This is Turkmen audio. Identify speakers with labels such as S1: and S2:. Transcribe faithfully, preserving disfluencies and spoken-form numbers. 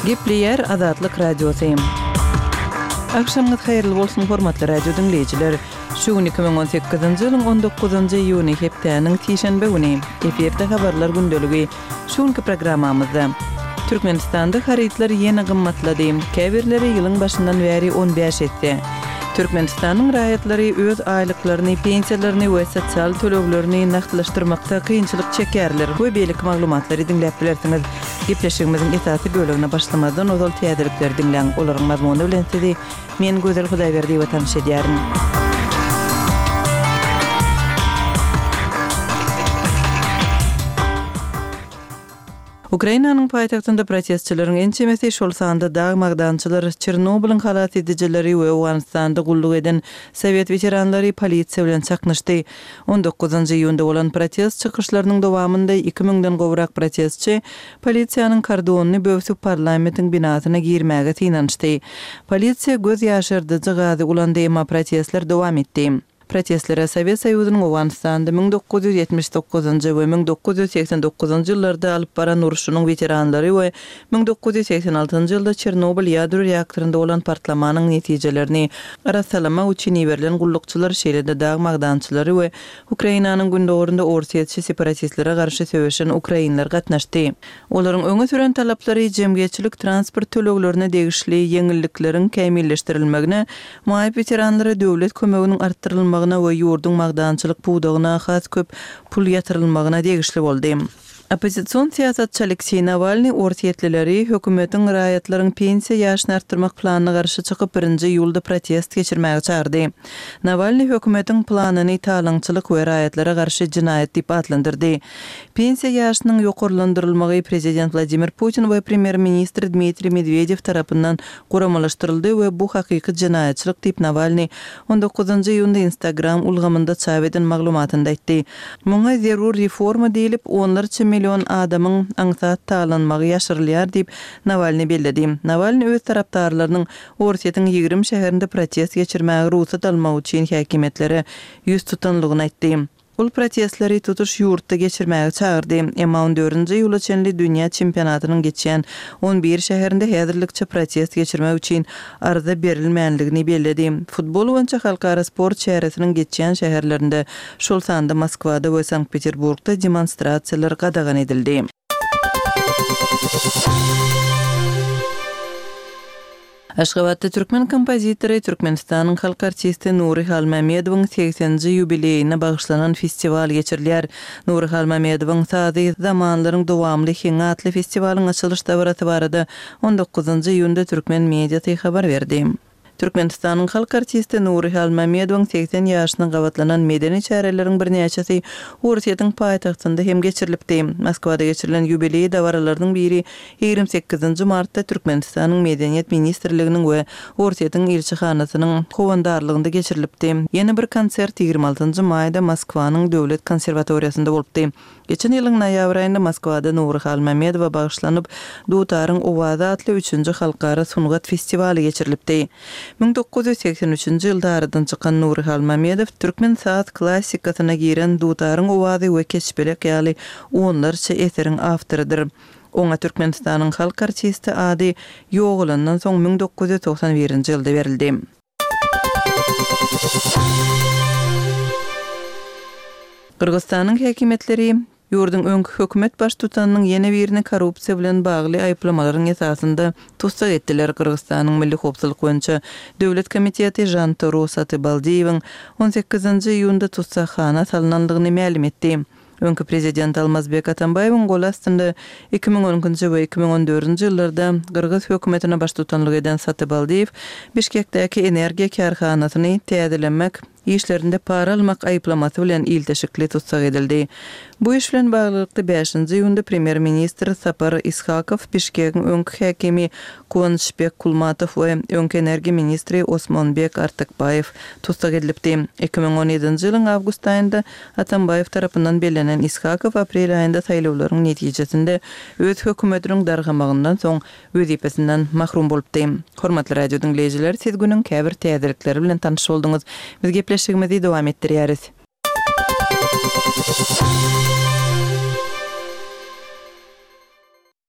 S1: Gepleýär Azatlyk Radiosy. Agşamyňyz haýyrly bolsun, hormatly radio diňleýjiler! Şu gün iki müň on sekizinji ýylyň on dokuzynjy iýuny, hepdäniň sişenbe güni. Efirde Habarlar gündeligi. Şu günki programmamyzda, Türkmenistanda harytlar ýene gymmatlady, käbirleri ýylyň başyndan bäri on bäş esse. Türkmenistanyň raýatlary öz aýlyklaryny, pensiýalaryny we sosial töleglerini nagtlaşdyrmakda kynçylyk çekýärler we beýleki maglumatlary diňläp bilersiňiz. Gepleşigimiziň esasy bölegine başlamazdan ozal täzelikleri diňläň, olaryň mazmuny bilen sizi men Gözel Hudaýberdiýewa tanyş edýärin. Ukrainanyň paýtagtynda protestçileriň ençemesi, şol sanda dag magdançylar, Çernobylyň halas edijileri we Owganystanda gulluk eden sowet weteranlary polisiýa bilen çaknyşdy. On dokuzynjy iýunda bolan protest çykyşlarynyň dowamynda iki müňden gowrak protestçi polisiýanyň kordonyny böwsüp parlamentiň binasyna girmäge synanyşdy. Polisiýa göz ýaşardyjy gazy ulandy, emma protestler dowam etdi. Protestlere Sowet Soýuzynyň Owganystanda müň dokuz ýüz ýetmiş dokuzynjy we müň dokuz ýüz segsen dokuzynjy ýyllarda alyp baran urşunyň weteranlary we müň dokuz ýüz segsen altynjy ýylda Çernobyl ýadro reaktorynda bolan partlamanyň netijelerini arassalamak üçin iberilen gullukçylar, şeýle-de dag magdançylary we Ukrainanyň gündogarynda orsýetçi separatistlere garşy söweşen ukrainler gatnaşdy. Olaryň öňe süren talaplary jemgyýetçilik transport töleglerine degişli ýeňillikleriň kämilleşdirilmegine, maýyp weteranlara döwlet kömeginiň artdyrylmagyna we ýurduň magdançylyk pudagyna has köp pul ýatyrylmagyna degişli boldy. Oppozision syýasatçy Alekseý Nawalnyý orsýetlileri hökümetiň raýatlaryň pensiýa ýaşyny artdyrmak planyna garşy çykyp birinji iýulda protest geçirmäge çagyrdy. Nawalnyý hökümetiň planyny talaňçylyk we raýatlara garşy jenaýat diýip atlandyrdy. Pensiýa ýaşynyň ýokarlandyrylmagy prezident Wladimir Putin we premýer-ministr Dmitriý Medwedew tarapyndan guramalaşdyryldy we bu hakyky jenaýatçylyk diýip Nawalnyý on dokuzynjy iýunda Instagram ulgamynda çap eden maglumatynda aýtdy. Muňa zerur reforma diýlip, onlarça million adamyň aňsat talanmagy ýaşyrylýar diýip Nawalnyý belledi. Nawalnyý öz tarapdarlarynyň Orsýetiň ýigrimi şäherinde protest geçirmäge rugsat almak üçin häkimiýetlere ýüz tutanlygyny aýtdy. Ol protestleri tutuş ýurtda geçirmäge çagyrdy. Emma on dördünji iýula çenli dünýä çempionatynyň geçýän on bir şäherinde häzirlikçe protest geçirmek üçin arza berilmänligini belledi. Futbol boýunça halkara sport çäresiniň geçýän şäherlerinde, şol sanda Moskwada we Sankt-Peterburgda demonstrasiýalar gadagan edildi. Aşgabatda türkmen kompozitory, Türkmenistanyň halk artisti Nury Halmämmedowyň segseninji ýubileýine bagyşlanan festiwal geçirilýär. Nury Halmämmedowyň sazy zamanlaryň dowamly heňi atly festiwalyň açylyş dabarasy barada on dokuzynjy iýunda türkmen mediasy habar berdi. Türkmenistanyň halk artisti Nury Halmämmedowyň segsen ýaşyna gabatlanan medeni çäreleriň birnäçesi Orsýetiň paýtagtynda hem geçirilipdi. Moskwada geçirilen ýubileý dabaralarynyň biri ýigrimi sekizinji martda Türkmenistanyň Medeniýet ministrliginiň we Orsýetiň ilçihanasynyň howandarlygynda geçirilipdi. Ýene bir konsert ýigrimi altynjy maýda Moskwanyň Döwlet konserwatoriýasynda bolupdy. Geçen ýylyň noýabr aýynda Moskwada Nury Halmämmedowa bagyşlanyp, Dutaryň owazy atly üçünji halkara sungat festiwaly geçirilipdi. Müň dokuz ýüz segsen üçünji ýylda aradan çykan Nury Halmämmedow türkmen saz klassikasyna giren Dutaryň owazy we Keçpelek ýaly onlarça eseriň awtorydyr. Oňa Türkmenistanyň halk artisti ady ýogalandan soň müň dokuz ýüz togsan birinji ýylda berildi. Gyrgyzystanyň häkimiýetleri ýurduň öňki hökümet baştutanynyň ýene birini korrupsiýa bilen bagly aýyplamalaryň esasynda tussag etdiler. Gyrgyzystanyň Milli howpsuzlyk boýunça Döwlet komiteti Žantoro Satybaldiýewiň on sekizinji iýunda tussaghana salynandygyny mälim etdi. Öňki prezident Almazbek Atambaýewiň goly astynda iki müň on ikinji we iki müň on dördünji ýyllarda Gyrgyz hökümetine baştutanlyk eden Satybaldiýew Bişkekdäki energiýa kärhanasyny täzelemek işlerinde para almak aýyplamasy bilen ilteşikli tussag edildi. Bu iş bilen baglylykda bäşinji iýunda premýer-ministr Sapar Ishakow, Bişkegiň öňki häkimi Kuanyşbek Kulmatow we öňki energiýa ministri Osmonbek Artykbaýew tussag edilipdi. Iki müň on ýedinji ýylyň awgust aýynda Atambaýew tarapyndan bellenen Ishakow aprel aýynda saýlawlaryň netijesinde öz hökümetiniň dargamagyndan soň wezipesinden mahrum bolupdy. Hormatly radio diňleýjiler, siz günüň käbir täzelikleri bilen tanyş bolduňyz. Biz gepleşigimizi dowam etdirýäris.